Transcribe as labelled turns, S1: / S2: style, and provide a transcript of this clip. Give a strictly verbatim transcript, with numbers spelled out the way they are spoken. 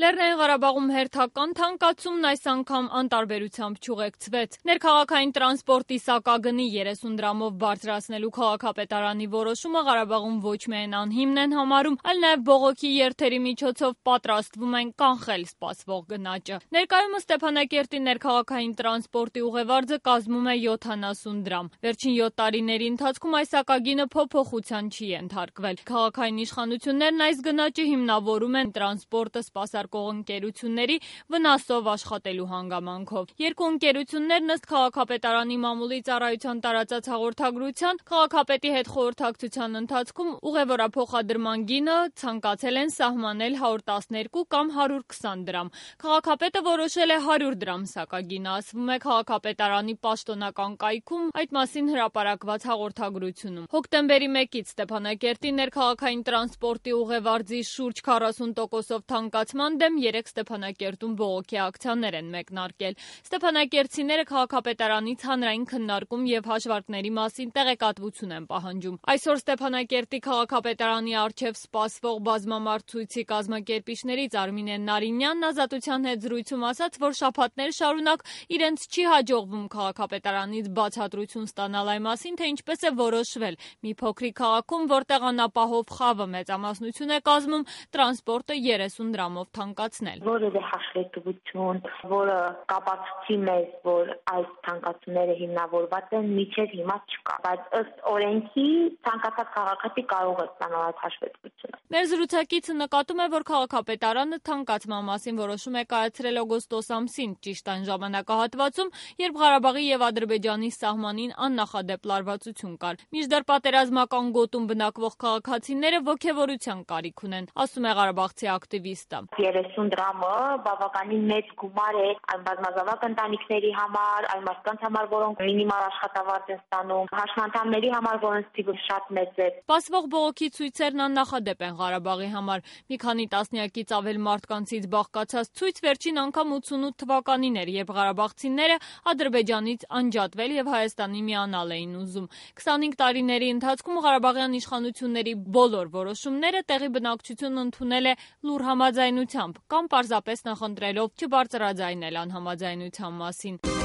S1: Լեռնային Ղարաբաղում հերթական թանկացումն այս անգամ անտարբերությամբ չուղեկցվեց։ Ներքաղաքային տրանսպորտի սակագնի երեսուն դրամով բարձրացնելու քաղաքապետարանի որոշումը Ղարաբաղում ոչ միայն անհիմն են համարում, այլ նաև բողոքի երթերի միջոցով պատրաստվում են կանխել սպասվող գնաճը։ Ներկայումս Ստեփանակերտի ներքաղաքային տրանսպորտի ուղևարձը կազմում է յոթանասուն դրամ։ Վերջին յոթ տարիների ընթացքում այս սակագինը փոփոխության չի ենթարկվել։ Քաղաքային իշխանություններն այս գնաճը հիմնավորում են տրանսպորտը սպասարկող ընկերությունների վնասով աշխատելու հանգամանքով։ Երկու ընկերություններն ըստ քաղաքապետարանի մամուլի ծառայության տարածած հաղորդագրության քաղաքապետի հետ խորհրդակցության ընթացքում ուղևորափոխադրման գինը ցանկացել են սահմանել հարյուր տասներկու կամ հարյուր քսան դրամ։ Քաղաքապետը որոշել է հարյուր դրամ սակագինը, ասվում է քաղաքապետարանի պաշտոնական կայքում այդ մասին հրապարակված հաղորդագրությունում։ Հոկտեմբերի մեկից Ստեփանակերտի ներքաղաքային տրանսպորտի ուղևարձի շուրջ քառասուն տոկոսով թանկացման դեմ երեկ Ստեփանակերտում բողոքի ակցիաներ են մեկնարկել։ Ստեփանակերտցիները քաղաքապետարանից հանրային քննարկում եւ հաշվարկների մասին տեղեկատվություն են պահանջում։ Այսօր Ստեփանակերտի քաղաքապետարանի առջև սպասվող բազմամարդ ցույցի կազմակերպիչներից Արմինե Նարինյանն Ազատության հետ զրույցում ասաց, որ շաբաթներ շարունակ իրենց չի հաջողվում քաղաքապետարանից բացատրություն ստանալ այն մասին, թե ինչպես է որոշվել մի փոքրիկ քաղաքում, որտեղ անապահով խավը մեծամասնություն է կազմում, տրանսպորտը երեսուն դրամով թանկացնել։
S2: Որևէ հաշվետվություն, որը կապացուցի մեզ, որ այս թանկացումները հիմնավորված են, միջև հիմա չկա, բայց ըստ օրենքի ցանկացած քաղաքացի կարող է ստանալ այդ հաշվետվությունը։
S1: Մեր զրուցակիցը նկատում է, որ քաղաքապետարանը թանկացման մասին որոշում է կայացրել օգոստոս ամսին, ճիշտ այն ժամանակահատվածում, երբ Ղարաբաղի եւ Ադրբեջանի սահմանին աննախադեպ լարվածություն կար։ Մինչդեռ պատերազմական գոտում բնակվող քաղաքացիները ոգևորության կարիք ունեն, ասում է ղարաբաղցի ակտիվիստը։
S2: երեսուն դրամը բավականին մեծ գումար է այն բազմազավակ ընտանիքների համար, այն մարդկանց համար, որոնք մինիմալ աշխատավարձ են ստանում, հաշմանդամների համար, որոնց թիվը շատ մեծ է։
S1: Սպասվող բողոքի ցույցերն աննախադեպ են Ղարաբաղի համար։ Մի քանի տասնյակից ավել մարդկանցից բաղկացած ցույց վերջին անգամ ութսունութ թվականին էր, երբ ղարաբաղցիները Ադրբեջանից անջատվել եւ Հայաստանի միանալ էին ուզում։ քսանհինգ տարիների ընթացքում ղարաբաղյան իշխանությունների բոլոր որոշումները տեղի բնակչությունն ընդունել է լուռ համաձայնությամբ կամ պարզապես նախընտրելով չբարձրաձայնել անհամաձայնության մասին։